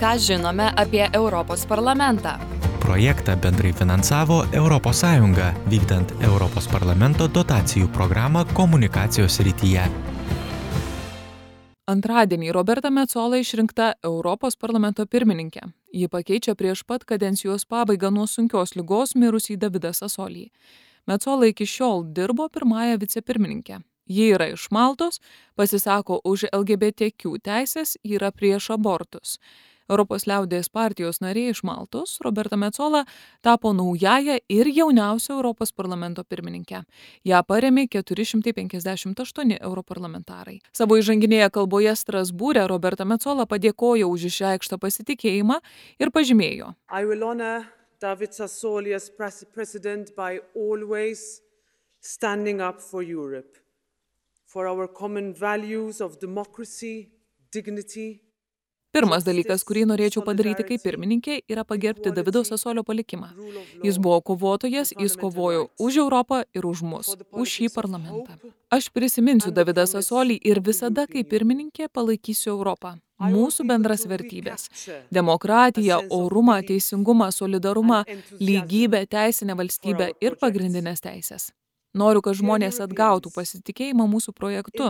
Ką žinome apie Europos parlamentą? Projektą bendrai finansavo ES, vykdant Europos parlamento dotacijų programą komunikacijos srityje. Antradienį Roberta Metsola išrinkta Europos parlamento pirmininkė. Ji pakeičia prieš pat kadencijos pabaigą nuo sunkios ligos mirusį Davidą Sasolį. Metsola iki šiol dirbo pirmąją vicepirmininkę. Ji yra iš Maltos, pasisako už LGBTQ teisės, yra prieš abortus. Europos liaudės partijos narė iš Maltos, Roberta Metsola, tapo naująją ir jauniausią Europos parlamento pirmininkę. Ją parėmė 458 europarlamentarai. Savo įžanginėje kalboje Strasbūre Roberta Metsola padėkojo už išreikštą pasitikėjimą ir pažymėjo. I will honor David Sassoli as president by always standing up for Europe, for our common values of democracy, dignity. Pirmas dalykas, kurį norėčiau padaryti kaip pirmininkė, yra pagerbti Davido Sasolio palikimą. Jis buvo kovotojas, jis kovojo už Europą ir už mus, už šį parlamentą. Aš prisiminsiu Davidą Sasolį ir visada kaip pirmininkė palaikysiu Europą. Mūsų bendras vertybės – demokratiją, orumą, teisingumą, solidarumą, lygybę, teisinę valstybę ir pagrindinės teisės. Noriu, kad žmonės atgautų pasitikėjimą mūsų projektu.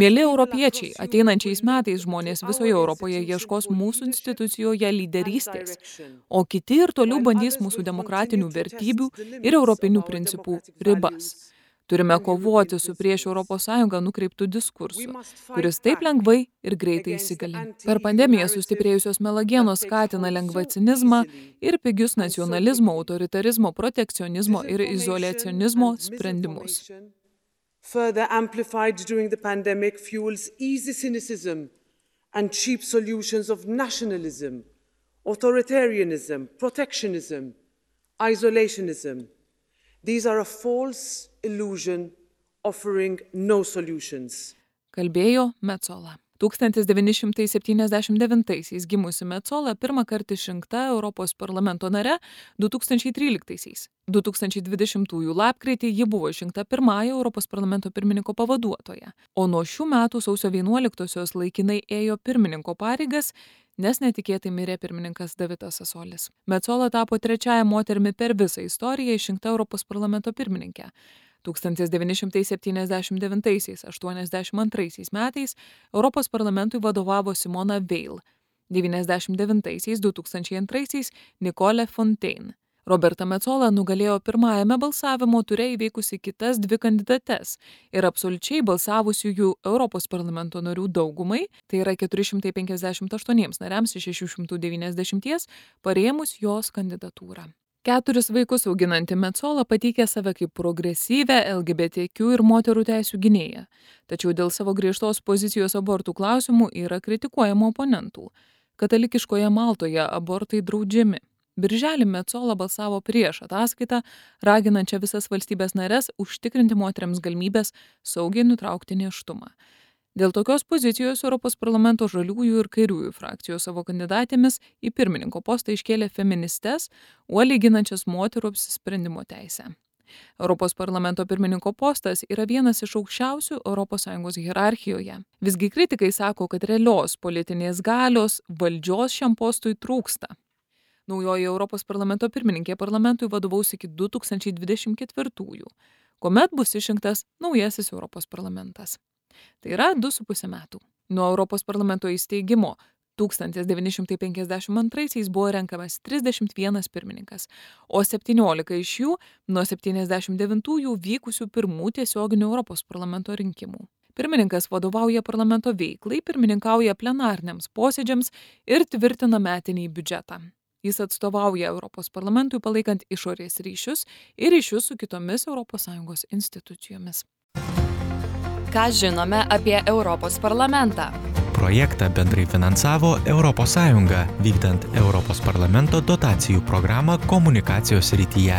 Mieli europiečiai, ateinančiais metais žmonės visoje Europoje ieškos mūsų institucijoje lyderystės, o kiti ir toliau bandys mūsų demokratinių vertybių ir europinių principų ribas. Turime kovoti su prieš ES nukreiptų diskursu, kuris taip lengvai ir greitai įsigali. Per pandemiją sustiprėjusios melagienos skatina lengvą cinizmą ir pigius nacionalizmo, autoritarizmo, protekcionizmo ir izoliacionizmo sprendimus. Further amplified during the pandemic fuels easy cynicism and cheap solutions of nationalism, authoritarianism, protectionism, isolationism. These are a false illusion offering no solutions. Kalbėjo Metsola. 1979 gimusi Metsola pirmą kartą išrinkta Europos parlamento nare 2013. 2020 lapkritį ji buvo išrinkta pirmąja Europos parlamento pirmininko pavaduotoja, o nuo šių metų sausio 11-osios laikinai ėjo pirmininko pareigas, nes netikėtai mirė pirmininkas Davidas Sasolis. Metsola tapo trečiąja moterimi per visą istoriją išrinkta Europos parlamento pirmininkė. 1979–82 metais Europos parlamentui vadovavo Simona Veil, 1999–2002 Nicole Fontaine. Roberta Metsola nugalėjo pirmajame balsavimo ture įveikusi kitas dvi kandidates ir absoliučiai balsavusiųjų Europos parlamento narių daugumai, tai yra 458 nariams iš 690, parėmus jos kandidatūrą. 4 vaikus auginanti Metsola pateikė save kaip progresyvę LGBTQ ir moterų teisių gynėją, tačiau dėl savo griežtos pozicijos abortų klausimų yra kritikuojama oponentų. Katalikiškoje Maltoje abortai draudžiami. Birželį Metsola balsavo prieš ataskaitą, raginančią visas valstybės nares užtikrinti moteriams galimybės saugiai nutraukti nėštumą. Dėl tokios pozicijos Europos parlamento žaliųjų ir kairiųjų frakcijos savo kandidatėmis į pirmininko postą iškėlė feministes, uoliai ginančias moterų apsisprendimo teisę. Europos parlamento pirmininko postas yra vienas iš aukščiausių ES hierarchijoje. Visgi kritikai sako, kad realios politinės galios valdžios šiam postui trūksta. Naujoji Europos parlamento pirmininkė parlamentui vadovaus iki 2024, kuomet bus išrinktas naujasis Europos parlamentas. Tai yra 2,5 metų. Nuo Europos parlamento įsteigimo 1952 buvo renkamas 31 pirmininkas, o 17 iš jų nuo 79 vykusių pirmų tiesioginių Europos parlamento rinkimų. Pirmininkas vadovauja parlamento veiklai, pirmininkauja plenariniams posėdžiams ir tvirtina metinį biudžetą. Jis atstovauja Europos parlamentui palaikant išorės ryšius ir ryšius su kitomis ES institucijomis. Ką žinome apie Europos parlamentą? Projektą bendrai finansavo ES, vykdant Europos parlamento dotacijų programą komunikacijos srityje.